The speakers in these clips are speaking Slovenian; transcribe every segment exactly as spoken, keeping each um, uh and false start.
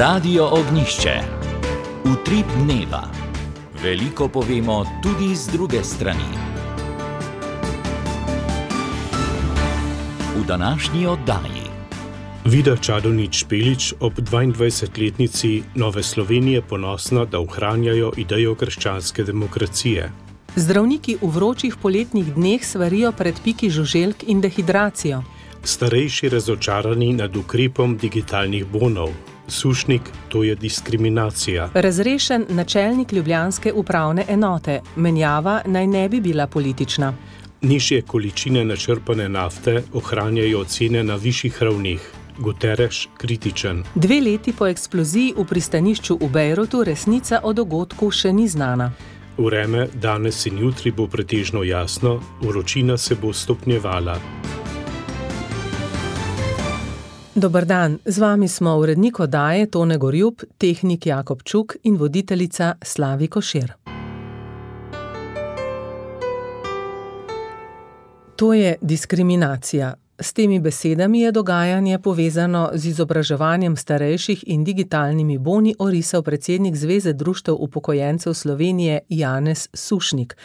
Radio Ognjišče. Utrip dneva. Veliko povemo tudi z druge strani. V današnji oddaji. Vida Čadonič-Špelič ob dvaindvajsetletnici Nove Slovenije ponosna, da ohranjajo idejo krščanske demokracije. Zdravniki v vročih poletnih dneh svarijo pred piki žuželk in dehidracijo. Starejši razočarani nad ukrepom digitalnih bonov. Sušnik, to je diskriminacija. Razrešen načelnik ljubljanske upravne enote. Menjava naj ne bi bila politična. Nižje količine načrpane nafte ohranjajo cene na višjih ravnih. Guterres kritičen. Dve leti po eksploziji v pristanišču v Bejrutu resnica o dogodku še ni znana. Vreme danes in jutri bo pretežno jasno, vročina se bo stopnjevala. Dober dan, z vami smo urednik oddaje Tone Gorjup, tehnik Jakob Čuk in voditeljica Slavi Košir. To je diskriminacija. S temi besedami je dogajanje povezano z izobraževanjem starejših in digitalnimi boni orisal predsednik Zveze društev upokojencev Slovenije Janez Sušnik.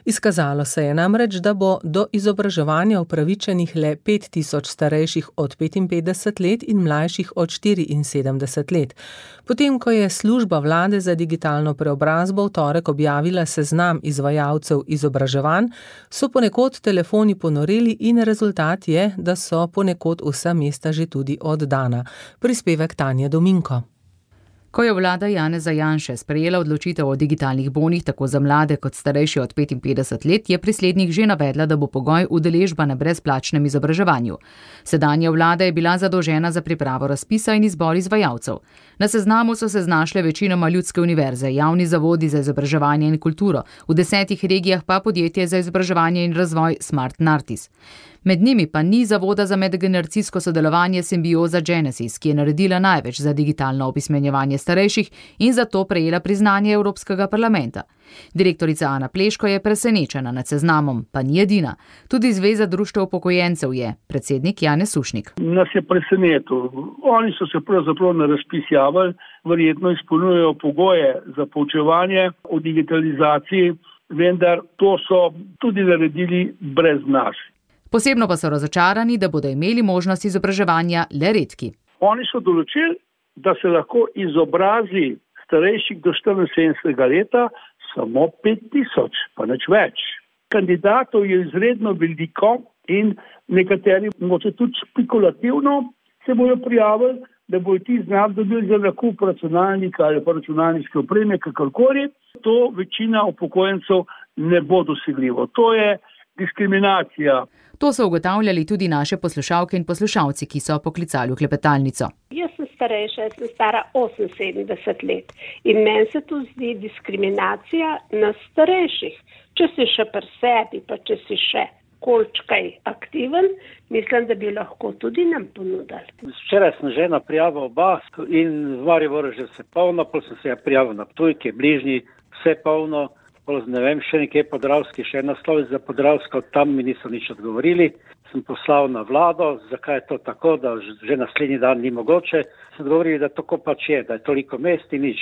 Izkazalo se je namreč, da bo do izobraževanja upravičenih le pet tisoč starejših od petinpetdeset let in mlajših od štiriinsedemdeset let. Potem, ko je služba vlade za digitalno preobrazbo v torek objavila seznam izvajalcev izobraževanj, so ponekod telefoni ponoreli in rezultat je, da so ponekod vsa mesta že tudi oddana. Prispevek Tanje Dominko. Ko je vlada Janeza Janše sprejela odločitev o digitalnih bonih tako za mlade kot starejše od petinpetdeset let, je pri slednjih že navedla, da bo pogoj udeležba na brezplačnem izobraževanju. Sedanja vlada je bila zadolžena za pripravo razpisa in izbor izvajalcev. Na seznamu so se znašle večinoma ljudske univerze, javni zavodi za izobraževanje in kulturo, v desetih regijah pa podjetje za izobraževanje in razvoj Smart Nartis. Med njimi pa ni zavoda za medgeneracijsko sodelovanje Symbioza Genesis, ki je naredila največ za digitalno opismenjevanje starejših in zato prejela priznanje Evropskega parlamenta. Direktorica Ana Pleško je presenečena nad seznamom, pa ni edina. Tudi Zveza društev upokojencev je, predsednik Janez Sušnik. Nas je presenetil. Oni so se pravzaprav na razpis javili, verjetno izpolnjujejo pogoje za poučevanje o digitalizaciji, vendar to so tudi naredili brez nas. Posebno pa so razočarani, da bodo imeli možnost izobraževanja le redki. Oni so določili, da se lahko izobrazi starejših do štiriinsedemdesetega leta samo pet tisoč, pa nič več. Kandidatov je izredno veliko in nekateri moče tudi špekulativno se bojo prijavili, da bojo ti znak dobili za nakup računalnika ali pa računalniške opreme, kakorkoli. To večina upokojencev ne bo dosegljivo. To je diskriminacija. To so ugotavljali tudi naše poslušalke in poslušalci, ki so poklicali v klepetalnico. Jaz sem starejša, jaz sem stara oseminsedemdeset let in meni se tu zdi diskriminacija na starejših. Če si še pri sebi, pa če si še kolčkaj aktiven, mislim, da bi lahko tudi nam ponudili. Včeraj sem že na prijavo oba in v Mariboru že vse polno, pol sem se prijavil na Ptujki, bližnji, vse polno. Ne vem, še nekje Podravski, še ena slovic za Podravsko, tam mi niso nič odgovorili. Sem poslal na vlado, zakaj je to tako, da že naslednji dan ni mogoče. Sem odgovorili, da tako pač je, da je toliko mest in nič.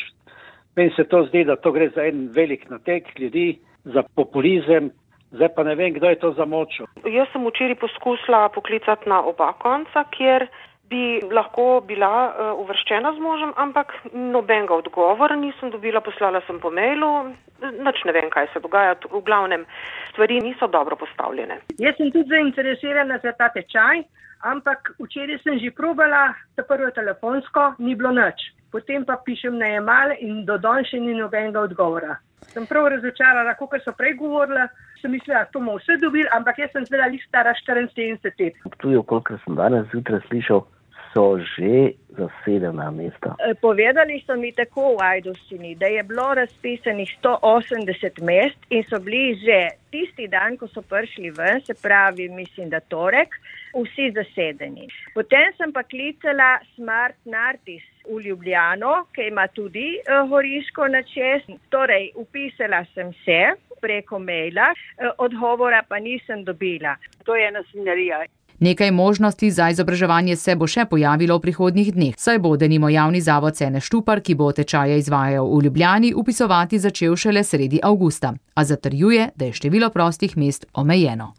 Meni se to zdi, da to gre za en velik natek ljudi, za populizem. Zdaj pa ne vem, kdo je to zamočil. Jaz sem včeraj poskusila poklicati na oba konca, kjer bi lahko bila uh, uvrščena z možem, ampak nobenega odgovora nisem dobila, poslala sem po mailu, nič ne vem, kaj se dogaja, v glavnem stvari niso dobro postavljene. Jaz sem tudi zainteresirana za ta tečaj, ampak včeraj sem že probala, ta prvo telefonsko, ni bilo nič. Potem pa pišem na e-mail in do danes še ni nobenega odgovora. Sem prav razočarala, kot so prej govorila, sem mislila, to bomo vse dobili, ampak jaz sem zdaj stara štiriinsedemdeset let. Tudi, koliko sem danes zjutraj slišal, so že zasedena mesta. Povedali so mi tako v Ajdovščini, da je bilo razpisanih sto osemdeset mest in so bili že tisti dan, ko so prišli ven, se pravi, mislim, da torek, vsi zasedeni. Potem sem pa klicala Smart Nartis v Ljubljano, ki ima tudi uh, Horiško na čez. Torej, upisala sem se preko maila, uh, odgovora pa nisem dobila. To je ena svinjarija. Nekaj možnosti za izobraževanje se bo še pojavilo v prihodnjih dneh, saj bo denimo javni zavod Cene Štupar, ki bo tečaje izvajal v Ljubljani, upisovati začel šele sredi avgusta, a zatrjuje, da je število prostih mest omejeno.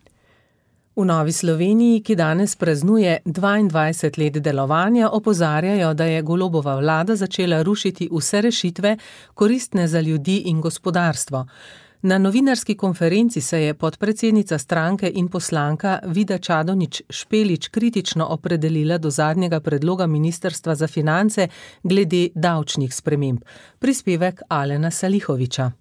V Novi Sloveniji, ki danes praznuje dvaindvajset let delovanja, opozarjajo, da je Golobova vlada začela rušiti vse rešitve, koristne za ljudi in gospodarstvo. Na novinarski konferenci se je podpredsednica stranke in poslanka Vida Čadonič Špelič kritično opredelila do zadnjega predloga Ministrstva za finance glede davčnih sprememb. Prispevek Alena Salihoviča.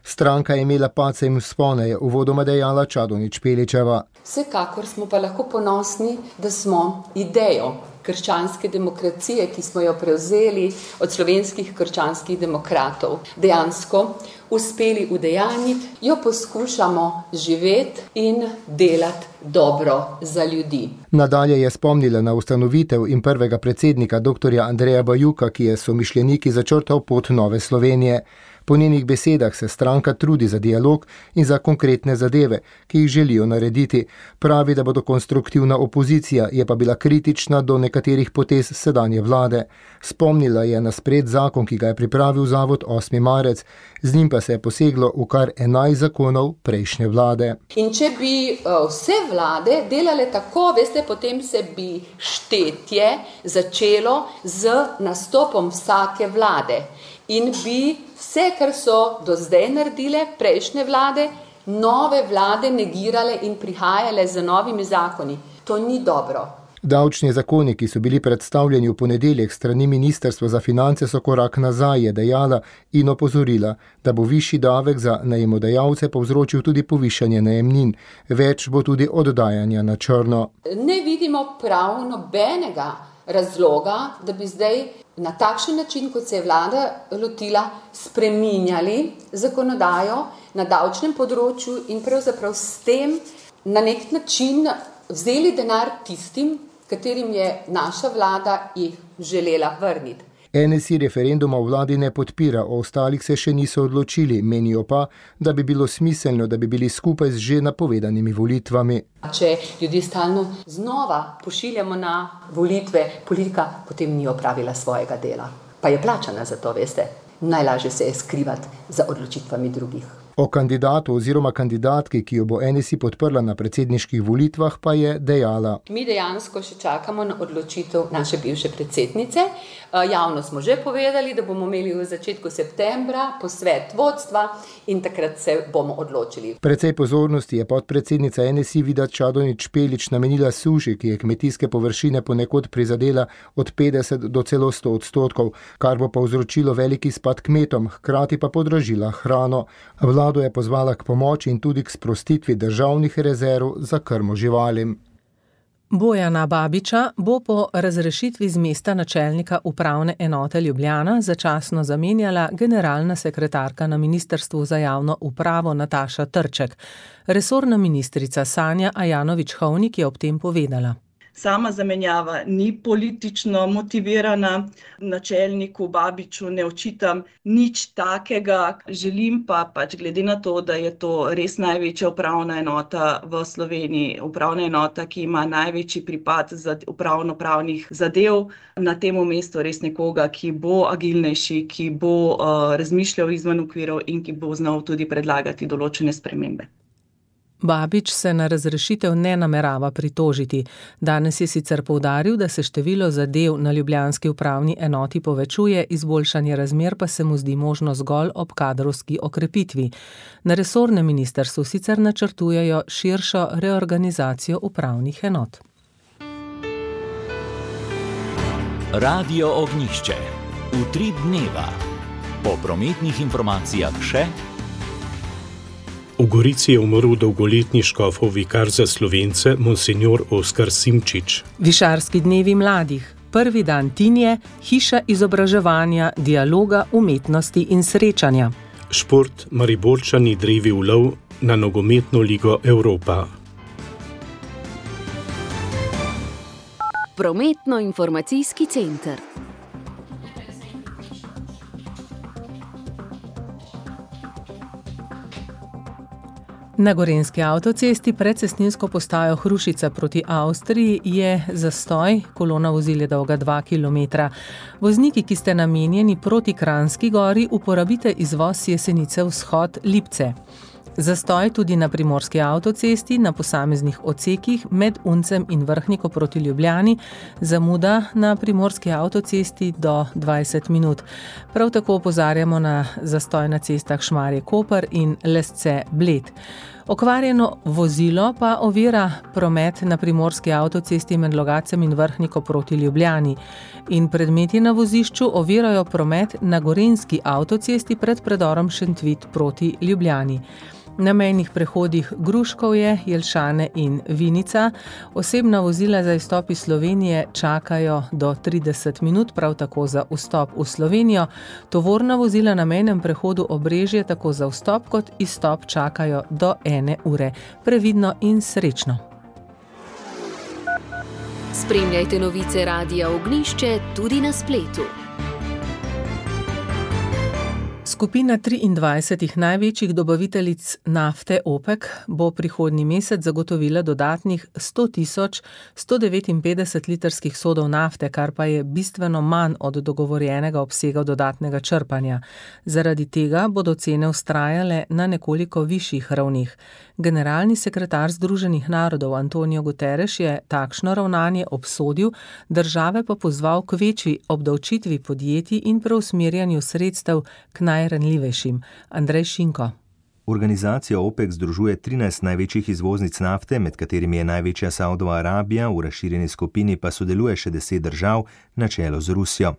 Stranka je imela pace in vzpone, je uvodoma dejala Čadonič Špeličeva. Vsekakor smo pa lahko ponosni, da smo idejo krščanske demokracije, ki smo jo prevzeli od slovenskih krščanskih demokratov, dejansko uspeli udejanjiti, jo poskušamo živeti in delati dobro za ljudi. Nadalje je spomnila na ustanovitev in prvega predsednika doktorja Andreja Bajuka, ki je somišljeniki začrtal pot Nove Slovenije. Po njenih besedah se stranka trudi za dialog in za konkretne zadeve, ki jih želijo narediti. Pravi, da bodo konstruktivna opozicija, je pa bila kritična do nekaterih potez sedanje vlade. Spomnila je na sprejet zakon, ki ga je pripravil zavod osmi marec, z njim pa se je poseglo v kar enajst zakonov prejšnje vlade. In če bi vse vlade delale tako, veste, potem se bi štetje začelo z nastopom vsake vlade. In bi vse, kar so do zdaj naredile prejšnje vlade, nove vlade negirale in prihajale z novimi zakoni. To ni dobro. Davčni zakoni, ki so bili predstavljeni v ponedeljek strani Ministrstva za finance, so korak nazaj, je dejala in opozorila, da bo višji davek za najemodajalce povzročil tudi povišanje najemnin. Več bo tudi oddajanja na črno. Ne vidimo prav nobenega razloga, da bi zdaj na takšen način, kot se je vlada lotila, spreminjali zakonodajo na davčnem področju in pravzaprav s tem na nek način vzeli denar tistim, katerim je naša vlada jih želela vrniti. N S I referenduma v vladi ne podpira, o ostalih se še niso odločili, menijo pa, da bi bilo smiselno, da bi bili skupaj z že napovedanimi volitvami. Če ljudi stalno znova pošiljamo na volitve, politika potem ni opravila svojega dela. Pa je plačana za to, veste. Najlažje se je skrivati za odločitvami drugih. O kandidatu oziroma kandidatki, ki jo bo N S I podprla na predsedniških volitvah, pa je dejala. Mi dejansko še čakamo na odločitev naše bivše predsednice. Javno smo že povedali, da bomo imeli v začetku septembra posvet vodstva in takrat se bomo odločili. Precej pozornosti je podpredsednica N S I Vida Čadonič Špelič namenila suši, ki je kmetijske površine ponekod prizadela od petdeset do celo sto odstotkov, kar bo povzročilo veliki spad kmetom, hkrati pa podražila hrano. Vlado je pozvala k pomoči in tudi k sprostitvi državnih rezerv za krmo živalim. Bojana Babiča bo po razrešitvi z mesta načelnika upravne enote Ljubljana začasno zamenjala generalna sekretarka na Ministrstvu za javno upravo Nataša Trček. Resorna ministrica Sanja Ajanović-Hovnik je ob tem povedala. Sama zamenjava ni politično motivirana, načelniku Babiču ne očitam nič takega. Želim pa pač glede na to, da je to res največja upravna enota v Sloveniji, upravna enota, ki ima največji pripad upravno-pravnih zadev, na tem mestu res nekoga, ki bo agilnejši, ki bo uh, razmišljal izven okvirov in ki bo znal tudi predlagati določene spremembe. Babič se na razrešitev ne namerava pritožiti. Danes je sicer poudaril, da se število zadev na ljubljanski upravni enoti povečuje, izboljšanje razmer pa se mu zdi možno zgolj ob kadrovski okrepitvi. Na resornem ministrstvu sicer načrtujejo širšo reorganizacijo upravnih enot. Radio Ognjišče. Utrip dneva. Po prometnih informacijah še. V Gorici je umrl dolgoletni škofov vikar za Slovence, monsinjor Oskar Simčič. Višarski dnevi mladih. Prvi dan Tinje, hiša izobraževanja, dialoga, umetnosti in srečanja. Šport, Mariborčani drevi v lov na nogometno ligo Evropa. Prometno-informacijski center. Na gorenjski avtocesti pred cestninsko postajo Hrušica proti Avstriji je zastoj, kolona vozil je dolga dva kilometra. Vozniki, ki ste namenjeni proti Kranjski gori, uporabite izvoz Jesenice vzhod Lipce. Zastoj tudi na primorski avtocesti, na posameznih odsekih med Uncem in Vrhniko proti Ljubljani, zamuda na primorski avtocesti do dvajset minut. Prav tako opozarjamo na zastoj na cestah Šmarje-Koper in Lesce-Bled. Okvarjeno vozilo pa ovira promet na primorski avtocesti med Logacem in Vrhniko proti Ljubljani. In predmeti na vozišču ovirajo promet na gorenjski avtocesti pred predorom Šentvit proti Ljubljani. Na mejnih prehodih Gruškovje, Jelšane in Vinica osebna vozila za izstop iz Slovenije čakajo do trideset minut, prav tako za vstop v Slovenijo. Tovorna vozila na mejnem prehodu Obrežje tako za vstop kot izstop čakajo do ene ure. Previdno in srečno. Spremljajte novice Radia Ognjišče tudi na spletu. Skupina triindvajsetih največjih dobaviteljic nafte OPEC bo prihodnji mesec zagotovila dodatnih sto tisoč sto devetinpetdeset litrskih sodov nafte, kar pa je bistveno manj od dogovorjenega obsega dodatnega črpanja. Zaradi tega bodo cene vztrajale na nekoliko višjih ravneh. Generalni sekretar Združenih narodov Antonio Guterres je takšno ravnanje obsodil, države pa pozval k večji obdavčitvi podjetij in preusmerjanju sredstev k najranljivejšim. Andrej Šinko. Organizacija OPEC združuje trinajst največjih izvoznic nafte, med katerimi je največja Saudova Arabija, v razširjeni skupini pa sodeluje še deset držav, na čelu z Rusijo.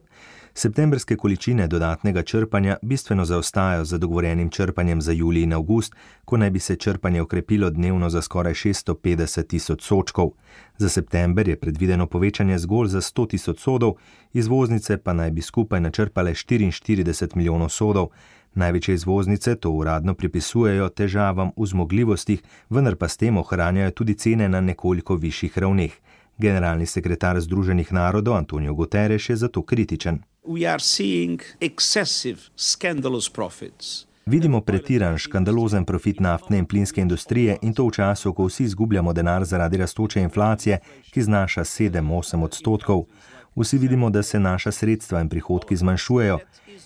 Septembrske količine dodatnega črpanja bistveno zaostajajo za dogovorjenim črpanjem za julij in avgust, ko naj bi se črpanje okrepilo dnevno za skoraj šeststo petdeset tisoč sodčkov. Za september je predvideno povečanje zgolj za sto tisoč sodov, izvoznice pa naj bi skupaj načrpale štiriinštirideset milijonov sodov. Največje izvoznice to uradno pripisujejo težavam v zmogljivostih, vendar pa s tem ohranjajo tudi cene na nekoliko višjih ravneh. Generalni sekretar Združenih narodov Antonio Guterres je zato kritičen. Vidimo pretiran, škandalozen profit naftne in plinske industrije in to v času, ko vsi izgubljamo denar zaradi rastoče inflacije, ki znaša sedem do osem odstotkov. Vsi vidimo, da se naša sredstva in prihodki zmanjšujejo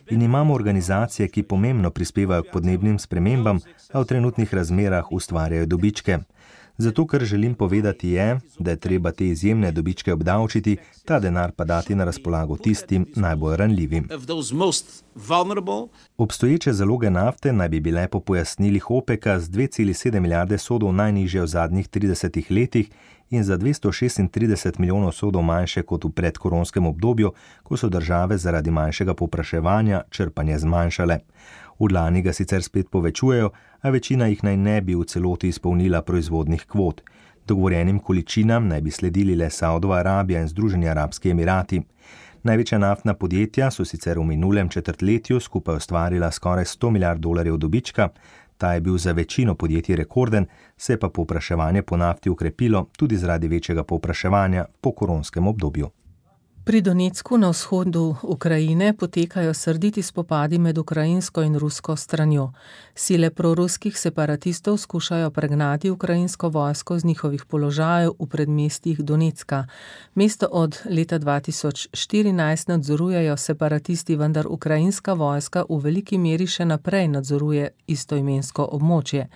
in imamo organizacije, ki pomembno prispevajo k podnebnim spremembam, a v trenutnih razmerah ustvarjajo dobičke. Zato, kar želim povedati je, da je treba te izjemne dobičke obdavčiti, ta denar pa dati na razpolago tistim najbolj ranljivim. Obstoječe zaloge nafte naj bi bile po pojasnilih OPEC-a z dve celi sedem milijarde sodov najnižje v zadnjih tridesetih letih in za dvesto šestintrideset milijonov sodov manjše kot v predkoronskem obdobju, ko so države zaradi manjšega povpraševanja črpanje zmanjšale. V lani ga sicer spet povečujejo, a večina jih naj ne bi v celoti izpolnila proizvodnih kvot. Dogovorjenim količinam naj bi sledili le Saudova Arabija in Združeni arabski emirati. Največja naftna podjetja so sicer v minulem četrtletju skupaj ustvarila skoraj sto milijard dolarjev dobička, ta je bil za večino podjetij rekorden, se je pa povpraševanje po nafti ukrepilo tudi zaradi večjega povpraševanja po koronskem obdobju. Pri Donecku na vzhodu Ukrajine potekajo srditi spopadi med ukrajinsko in rusko stranjo. Sile proruskih separatistov skušajo pregnati ukrajinsko vojsko z njihovih položajev v predmestjih Donecka. Mesto od leta dva tisoč štirinajst nadzorujejo separatisti, vendar ukrajinska vojska v veliki meri še naprej nadzoruje istoimensko območje.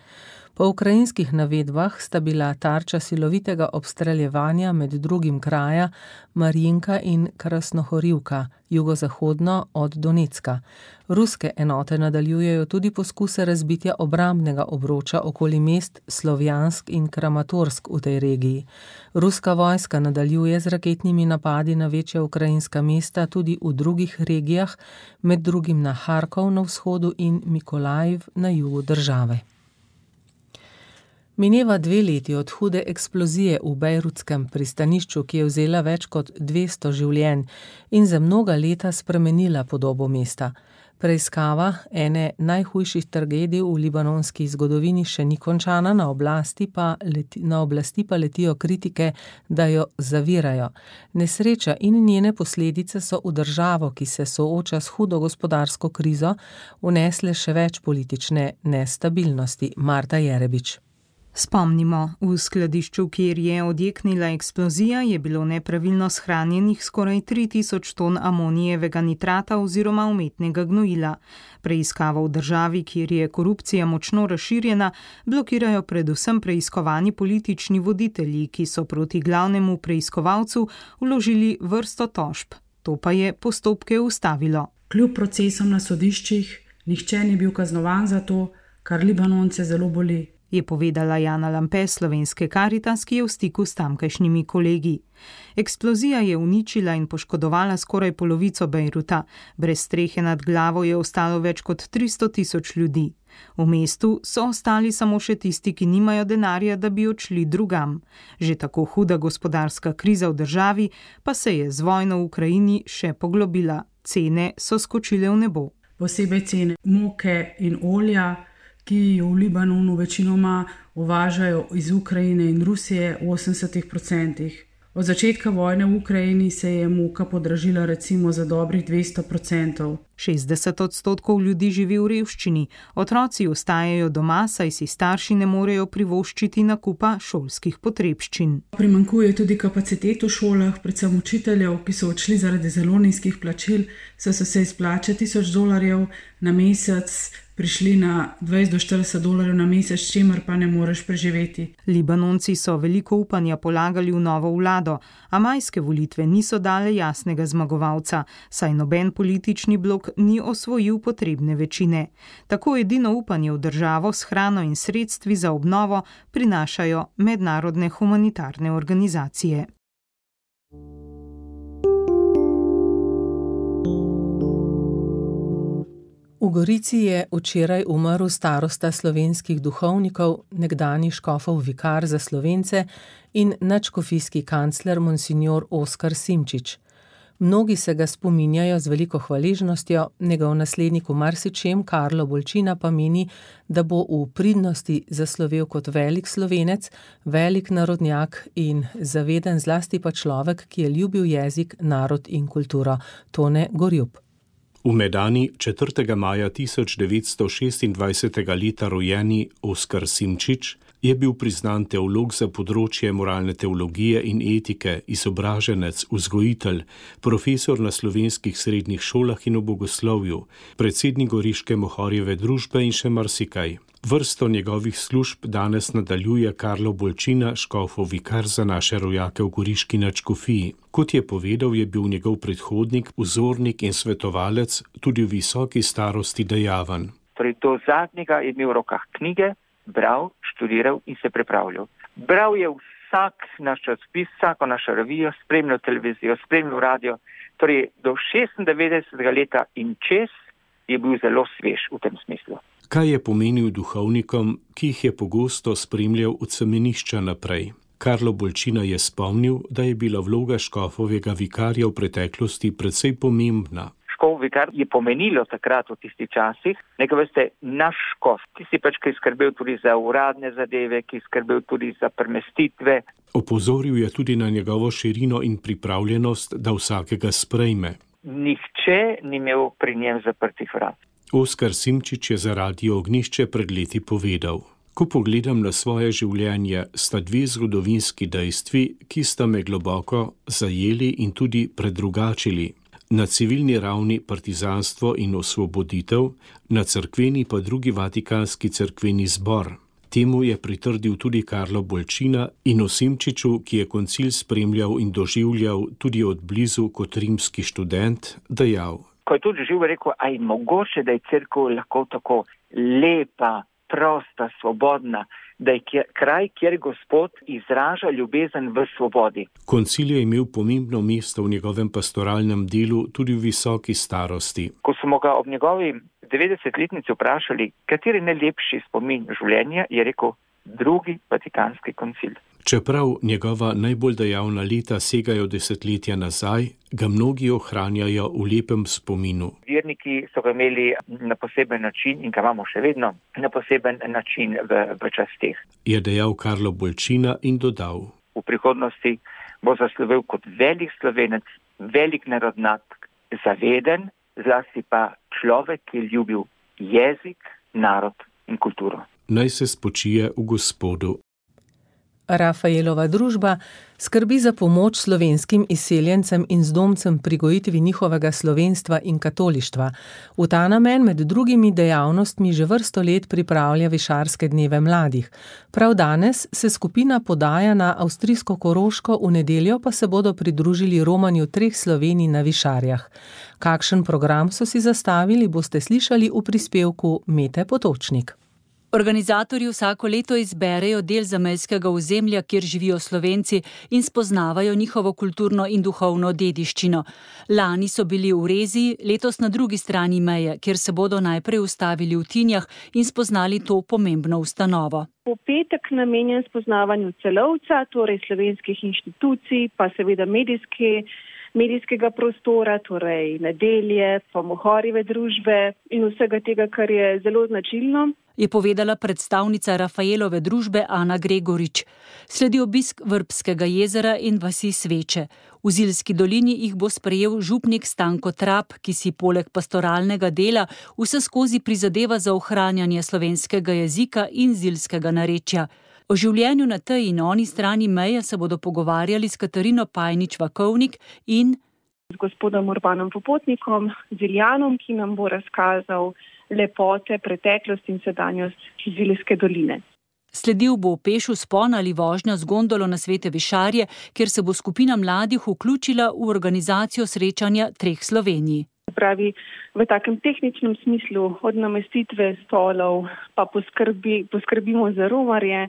Po ukrajinskih navedbah sta bila tarča silovitega obstreljevanja med drugim kraja Marjinka in Krasnohorivka, jugozahodno od Donecka. Ruske enote nadaljujejo tudi poskuse razbitja obrambnega obroča okoli mest Slovjansk in Kramatorsk v tej regiji. Ruska vojska nadaljuje z raketnimi napadi na večja ukrajinska mesta tudi v drugih regijah, med drugim na Harkov na vzhodu in Mikolajiv na jugu države. Mineva dve leti od hude eksplozije v bejrutskem pristanišču, ki je vzela več kot dvesto življenj in za mnoga leta spremenila podobo mesta. Preiskava ene najhujših tragedij v libanonski zgodovini še ni končana, na oblasti pa, leti, na oblasti pa letijo kritike, da jo zavirajo. Nesreča in njene posledice so v državo, ki se sooča s hudo gospodarsko krizo, vnesle še več politične nestabilnosti. Marta Jerebič. Spomnimo, v skladišču, kjer je odjeknila eksplozija, je bilo nepravilno shranjenih skoraj tri tisoč ton amonijevega nitrata oziroma umetnega gnojila. Preiskavo v državi, kjer je korupcija močno razširjena, blokirajo predvsem preiskovani politični voditelji, ki so proti glavnemu preiskovalcu vložili vrsto tožb. To pa je postopke ustavilo. Kljub procesom na sodiščih, nihče ni bil kaznovan za to, kar Libanonce zelo boli, je povedala Jana Lampe, slovenske Karitas, ki je v stiku s tamkajšnjimi kolegi. Eksplozija je uničila in poškodovala skoraj polovico Bejruta. Brez strehe nad glavo je ostalo več kot tristo tisoč ljudi. V mestu so ostali samo še tisti, ki nimajo denarja, da bi odšli drugam. Že tako huda gospodarska kriza v državi pa se je z vojno v Ukrajini še poglobila. Cene so skočile v nebo. Posebej cene moke in olja, ki jo v Libanonu večinoma uvažajo iz Ukrajine in Rusije v osemdesetih procentih. Od začetka vojne v Ukrajini se je moka podražila recimo za dobrih dvesto procentov. šestdeset odstotkov ljudi živi v revščini, otroci ostajajo doma, saj si starši ne morejo privoščiti nakupa šolskih potrebščin. Primanjkuje tudi kapacitet v šolah, predvsem učiteljev, ki so odšli zaradi zelo nizkih plačil, saj so se izplače tisoč dolarjev na mesec prišli na dvajset do štirideset dolarjev na mesec, s čimer pa ne moreš preživeti. Libanonci so veliko upanja polagali v novo vlado, a majske volitve niso dale jasnega zmagovalca, saj noben politični blok ni osvojil potrebne večine. Tako edino upanje v državo s hrano in sredstvi za obnovo prinašajo mednarodne humanitarne organizacije. V Gorici je včeraj umrl starosta slovenskih duhovnikov, nekdanji škofov vikar za Slovence in nadškofijski kancler monsignor Oskar Simčič. Mnogi se ga spominjajo z veliko hvaležnostjo, njegov naslednik v marsičem, Karlo Bolčina, pa meni, da bo v pridnosti zaslovel kot velik Slovenec, velik narodnjak in zaveden zlasti pa človek, ki je ljubil jezik, narod in kulturo. Tone Gorjup. V Medani četrtega maja tisoč devetsto šestindvajsetega leta rojeni Oskar Simčič je bil priznan teolog za področje moralne teologije in etike, izobraženec, vzgojitelj, profesor na slovenskih srednjih šolah in v bogoslovju, predsednik Goriške Mohorjeve družbe in še marsikaj. Vrsto njegovih služb danes nadaljuje Karlo Bolčina, škofov vikar za naše rojake v Goriški nadškofiji. Kot je povedal, je bil njegov predhodnik, vzornik in svetovalec tudi v visoki starosti dejaven. Torej, do zadnjega je imel v rokah knjige, bral, študiral in se pripravljal. Bral je vsak naš časopis, vsako našo revijo, spremljal televizijo, spremljal radio. Torej, do šestindevetdesetega leta in čez je bil zelo svež v tem smislu. Kaj je pomenil duhovnikom, ki jih je pogosto spremljal od semenišča naprej? Karlo Bolčina je spomnil, da je bila vloga škofovega vikarja v preteklosti precej pomembna. Škof vikar je pomenilo takrat v tistih časih, nekaj veste, naš škof, ki si pač ki skrbel tudi za uradne zadeve, ki skrbel tudi za premestitve. Opozoril je tudi na njegovo širino in pripravljenost, da vsakega sprejme. Nihče ni imel pri njem zaprtih vrat. Oskar Simčič je za Radio Ognišče pred leti povedal: Ko pogledam na svoje življenje, sta dve zgodovinski dejstvi, ki sta me globoko zajeli in tudi predrugačili. Na civilni ravni partizanstvo in osvoboditev, na cerkveni pa drugi vatikanski cerkveni zbor. Temu je pritrdil tudi Karlo Bolčina in o Simčiču, ki je koncil spremljal in doživljal tudi od blizu kot rimski študent, dejal: Ko je tudi živel, rekel, a je mogoče, da je cerkev lahko tako lepa, prosta, svobodna, da je kraj, kjer Gospod izraža ljubezen v svobodi. Koncil je imel pomembno mesto v njegovem pastoralnem delu tudi v visoki starosti. Ko smo ga ob njegovi devetdesetletnici vprašali, kateri najlepši spomin življenja, je rekel drugi vatikanski koncil. Čeprav njegova najbolj dejavna leta segajo desetletja nazaj, ga mnogi ohranjajo v lepem spominu. Verniki so ga imeli na poseben način in ga imamo še vedno na poseben način v, v časteh. Je dejal Karlo Bolčina in dodal: V prihodnosti bo zaslovel kot velik Slovenec, velik narodnjak, zaveden, zlasti pa človek, ki je ljubil jezik, narod in kulturo. Naj se spočije v Gospodu. Rafaelova družba skrbi za pomoč slovenskim izseljencem in zdomcem pri gojitvi njihovega slovenstva in katolištva. V ta namen med drugimi dejavnostmi že vrsto let pripravlja Višarske dneve mladih. Prav danes se skupina podaja na avstrijsko Koroško, v nedeljo pa se bodo pridružili romanju treh Slovenij na Višarjah. Kakšen program so si zastavili, boste slišali v prispevku Mete Potočnik. Organizatorji vsako leto izberejo del zamejskega ozemlja, kjer živijo Slovenci in spoznavajo njihovo kulturno in duhovno dediščino. Lani so bili v Reziji, letos na drugi strani meje, kjer se bodo najprej ustavili v Tinjah in spoznali to pomembno ustanovo. V petek namenjen spoznavanju celovca, torej slovenskih inštitucij, pa seveda medijske, medijskega prostora, torej nedelje, pa Mohorjeve družbe in vsega tega, kar je zelo značilno, je povedala predstavnica Rafaelove družbe Ana Gregorič. Sledi obisk Vrbskega jezera in vasi Sveče. V Zilski dolini jih bo sprejel župnik Stanko Trap, ki si poleg pastoralnega dela vseskozi prizadeva za ohranjanje slovenskega jezika in zilskega narečja. O življenju na tej in oni strani meje se bodo pogovarjali s Katarino Pajnič-Vakovnik in z gospodom Urbanom Popotnikom, Ziljanom, ki nam bo razkazal lepote, preteklost in sedanjost Zilske doline. Sledil bo peš vzpon ali vožnja z gondolo na Svete Višarje, kjer se bo skupina mladih vključila v organizacijo srečanja treh Slovenij. Pravi, v takem tehničnem smislu od namestitve stolov pa poskrbi, poskrbimo za romarje,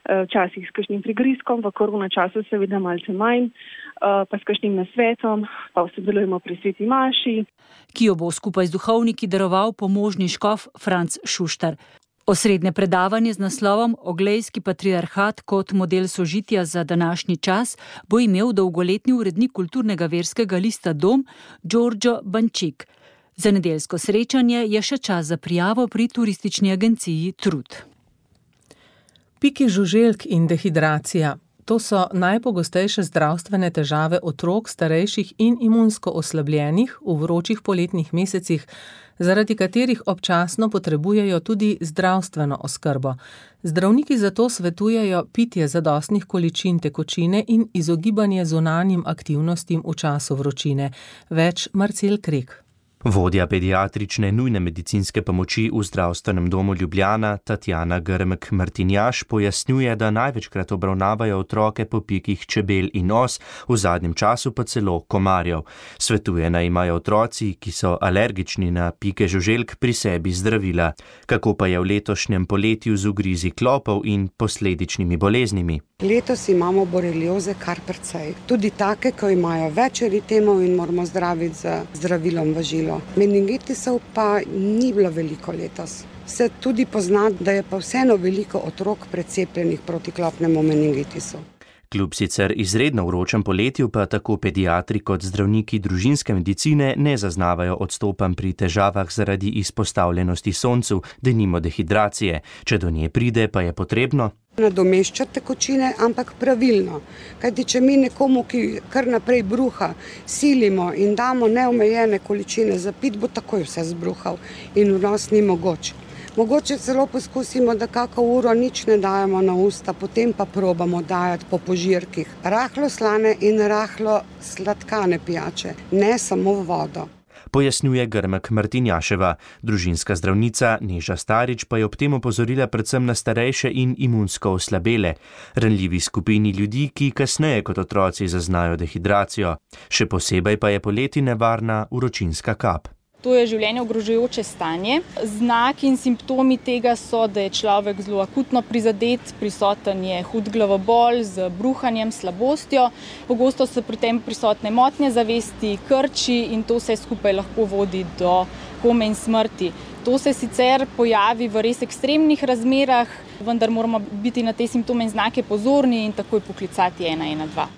včasih s kakšnim prigrizkom, v korona času seveda malce manj, pa s kakšnim nasvetom, pa sodelujemo pri sveti maši, ki jo bo skupaj z duhovniki daroval pomožni škof Franc Šuštar. Osrednje predavanje z naslovom Oglejski patriarhat kot model sožitja za današnji čas bo imel dolgoletni urednik kulturnega verskega lista Dom Đorđo Bančik. Za nedeljsko srečanje je še čas za prijavo pri turistični agenciji Trud. Piki žuželk in dehidracija. To so najpogostejše zdravstvene težave otrok, starejših in imunsko oslabljenih v vročih poletnih mesecih, zaradi katerih občasno potrebujejo tudi zdravstveno oskrbo. Zdravniki zato svetujejo pitje zadostnih količin tekočine in izogibanje zunanjim aktivnostim v času vročine. Več Marcel Krek. Vodja pediatrične nujne medicinske pomoči v zdravstvenem domu Ljubljana, Tatjana Grmek-Martinjaš, pojasnjuje, da največkrat obravnavajo otroke po pikih čebel in os, v zadnjem času pa celo komarjev. Svetuje, naj imajo otroci, ki so alergični na pike žuželk, pri sebi zdravila. Kako pa je v letošnjem poletju z ugrizi klopov in posledičnimi boleznimi? Letos imamo borelioze kar precej. Tudi take, ko imajo več eritemov in moramo zdraviti z zdravilom v žilo. Meningitisov pa ni bilo veliko letos. Se tudi pozna, da je pa vseeno veliko otrok precepljenih proti klopnemu meningitisu. Kljub sicer izredno vročem poletju pa tako pediatri kot zdravniki družinske medicine ne zaznavajo odstopanj pri težavah zaradi izpostavljenosti soncu, denimo dehidracije. Če do nje pride, pa je potrebno nadomeščati tekočine, ampak pravilno. Kajti, če mi nekomu, ki kar naprej bruha, silimo in damo neomejene količine za pit, bo takoj vse zbruhal in vnos ni mogoč. Mogoče celo poskusimo, da kako uro nič ne dajemo na usta, potem pa probamo dajati po požirkih. Rahlo slane in rahlo sladkane pijače, ne samo vodo. Pojasnjuje Grmek-Martinjaševa. Družinska zdravnica Neža Starič pa je ob tem opozorila predvsem na starejše in imunsko oslabele, ranljivi skupini ljudi, ki kasneje kot otroci zaznajo dehidracijo. Še posebej pa je poleti nevarna vročinska kap. To je življenje ogrožajoče stanje. Znaki in simptomi tega so, da je človek zelo akutno prizadet, prisoten je hud glavobol z bruhanjem, slabostjo. Pogosto so pri tem prisotne motnje zavesti, krči in to vse skupaj lahko vodi do kome in smrti. To se sicer pojavi v res ekstremnih razmerah, vendar moramo biti na te simptome in znake pozorni in takoj poklicati ena ena dva.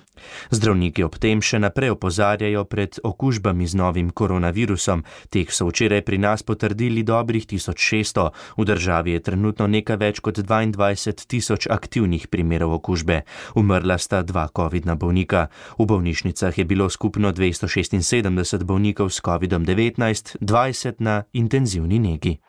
Zdravniki ob tem še naprej opozarjajo pred okužbami z novim koronavirusom. Teh so včeraj pri nas potrdili dobrih tisoč šeststo. V državi je trenutno nekaj več kot dvaindvajset tisoč aktivnih primerov okužbe. Umrla sta dva covidna bolnika. V bolnišnicah je bilo skupno dvesto šestinsedemdeset bolnikov s covidom devetnajst, dvajset na intenzivni negi.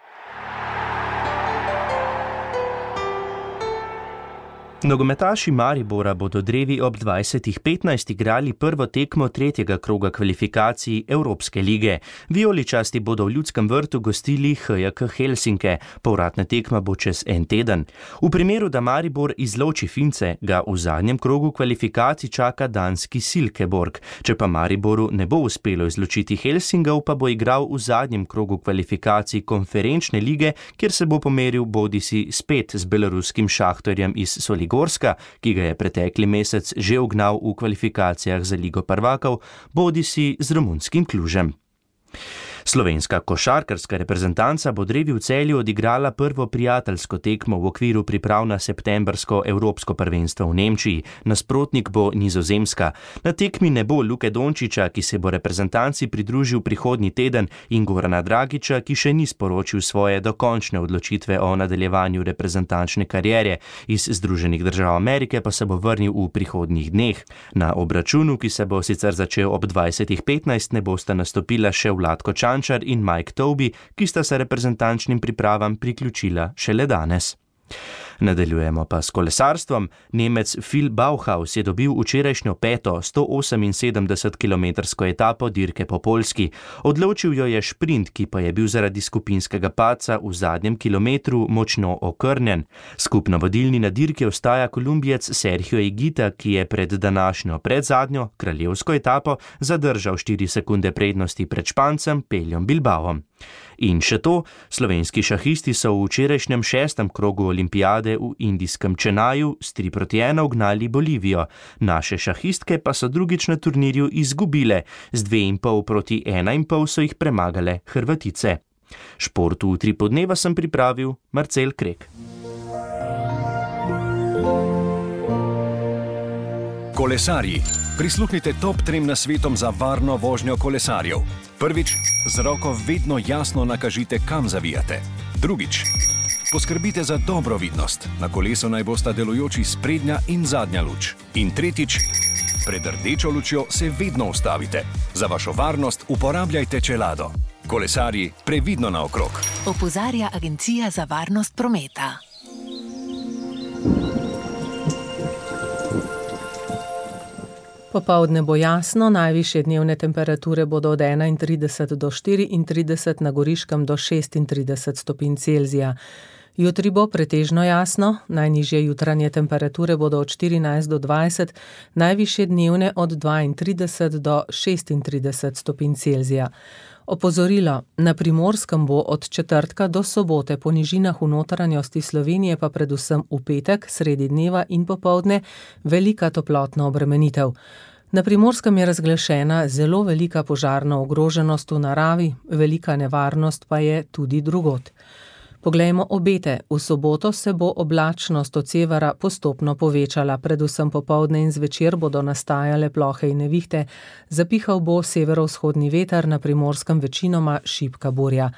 Nogometaši Maribora bodo drevi ob dvajsetih petnajst igrali prvo tekmo tretjega kroga kvalifikacij Evropske lige. Vijoličasti bodo v Ljudskem vrtu gostili H J K Helsinke. Povratna tekma bo čez en teden. V primeru, da Maribor izloči Fince, ga v zadnjem krogu kvalifikacij čaka danski Silkeborg. Če pa Mariboru ne bo uspelo izločiti Helsingov, pa bo igral v zadnjem krogu kvalifikacij konferenčne lige, kjer se bo pomeril bodisi spet z beloruskim Šahtorjem iz Soligorska, ki ga je pretekli mesec že ugnal v kvalifikacijah za Ligo prvakov, bodisi z romunskim Klužem. Slovenska košarkarska reprezentanca bo drevi v Celju odigrala prvo prijateljsko tekmo v okviru priprav na septembrsko Evropsko prvenstvo v Nemčiji. Nasprotnik bo Nizozemska. Na tekmi ne bo Luke Dončiča, ki se bo reprezentanci pridružil prihodnji teden, in Gorana Dragića, ki še ni sporočil svoje dokončne odločitve o nadaljevanju reprezentančne kariere. Iz Združenih držav Amerike pa se bo vrnil v prihodnjih dneh. Na obračunu, ki se bo sicer začel ob dvajsetih petnajst, ne bosta nastopila še Vlatko Čančar in Mike Toby, ki sta se reprezentančnim pripravam priključila šele danes. Nadaljujemo pa s kolesarstvom. Nemec Phil Bauhaus je dobil včerajšnjo peto sto oseminsedemdesetkilometrsko etapo dirke po Poljski. Odločil jo je šprint, ki pa je bil zaradi skupinskega padca v zadnjem kilometru močno okrnjen. Skupno vodilni na dirki ostaja Kolumbijec Sergio Higuita, ki je pred današnjo predzadnjo kraljevsko etapo zadržal štiri sekunde prednosti pred Špancem Peljom Bilbaom. In še to, slovenski šahisti so v včerajšnjem šestem krogu olimpijade v indijskem Čenaju s tri proti ena ugnali Bolivijo. Naše šahistke pa so drugič na turnirju izgubile, z dve in pol proti ena in pol so jih premagale Hrvatice. Športu v Utripu dneva sem pripravil Marcel Krek. Kolesarji, prisluhnite top trem nasvetom za varno vožnjo kolesarjev. Prvič, z roko vedno jasno nakažite, kam zavijate. Drugič, poskrbite za dobro vidnost. Na kolesu naj bosta delujoči sprednja in zadnja luč. In tretjič, pred rdečo lučjo se vedno ustavite. Za vašo varnost uporabljajte čelado. Kolesarji, previdno naokrog. Opozarja Agencija za varnost prometa. Popoldne bo jasno, najvišje dnevne temperature bodo od enaintrideset do štiriintrideset, na Goriškem do šestintrideset stopinj Celzija. Jutri bo pretežno jasno, najnižje jutranje temperature bodo od štirinajst do dvajset, najvišje dnevne od dvaintrideset do šestintrideset stopinj Celzija. Opozorilo, na Primorskem bo od četrtka do sobote po nižinah v notranjosti Slovenije pa predvsem v petek, sredi dneva in popoldne velika toplotna obremenitev. Na Primorskem je razglašena zelo velika požarna ogroženost v naravi, velika nevarnost pa je tudi drugod. Poglejmo obete. V soboto se bo oblačnost od severa postopno povečala, predvsem popoldne in zvečer bodo nastajale plohe in nevihte, zapihal bo severovzhodni veter, na Primorskem večinoma šibka burja.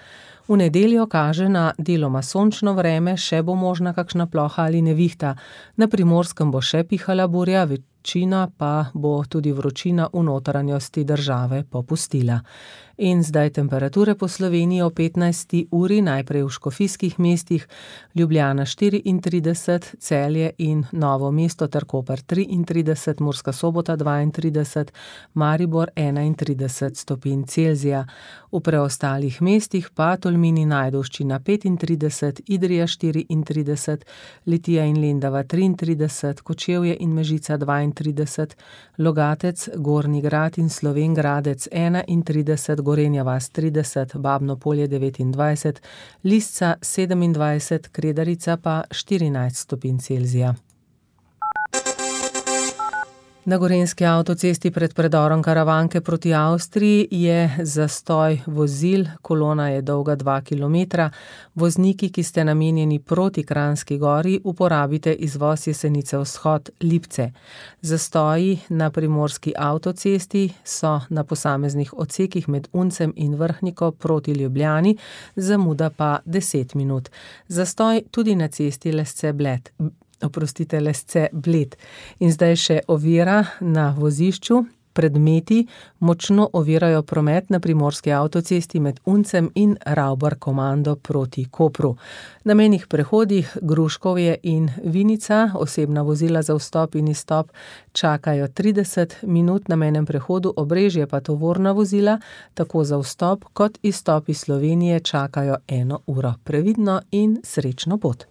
V nedeljo kaže na deloma sončno vreme, še bo možna kakšna ploha ali nevihta. Na Primorskem bo še pihala burja, večina pa bo tudi vročina v notranjosti države popustila. In zdaj temperature po Sloveniji o petnajsti uri, najprej v škofijskih mestih, Ljubljana štiriintrideset, Celje in Novo mesto ter Koper triintrideset, Murska Sobota dvaintrideset, Maribor enaintrideset stopinj Celzija. V preostalih mestih pa Tolmin in Ajdovščina petintrideset, Idrija štiriintrideset, Litija in Lendava triintrideset, Kočevje in Mežica dvaintrideset, Logatec, Gornji Grad in Slovenj Gradec enaintrideset, Gorenja vas trideset, Babno Polje devetindvajset, Lisca sedemindvajset, Kredarica pa štirinajst stopinj Celzija. Na gorenjski avtocesti pred predorom Karavanke proti Avstriji je zastoj vozil, kolona je dolga dva kilometra. Vozniki, ki ste namenjeni proti Kranjski gori, uporabite izvoz Jesenice vzhod Lipce. Zastoji na primorski avtocesti so na posameznih odsekih med Uncem in Vrhniko proti Ljubljani, zamuda pa deset minut. Zastoj tudi na cesti Lesce Bled. Oprostite, Lesce Bled. In zdaj še ovira na vozišču predmeti močno ovirajo promet na primorski avtocesti med Uncem in Ravbar komando proti Kopru. Na mejnih prehodih Gruškovje in Vinica osebna vozila za vstop in izstop čakajo trideset minut, na mejnem prehodu Obrežje pa tovorna vozila tako za vstop kot izstop iz Slovenije čakajo eno uro. Previdno in srečno pot.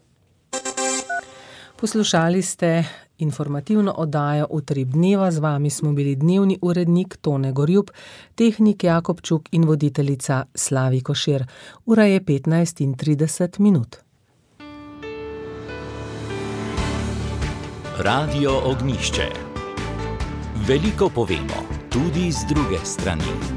Poslušali ste informativno oddajo Utrip dneva, z vami smo bili dnevni urednik Tone Gorjup, tehnik Jakob Čuk in voditeljica Slavi Košir. Ura je petnajst in trideset minut. Radio Ognjišče. Veliko povemo, tudi z druge strani.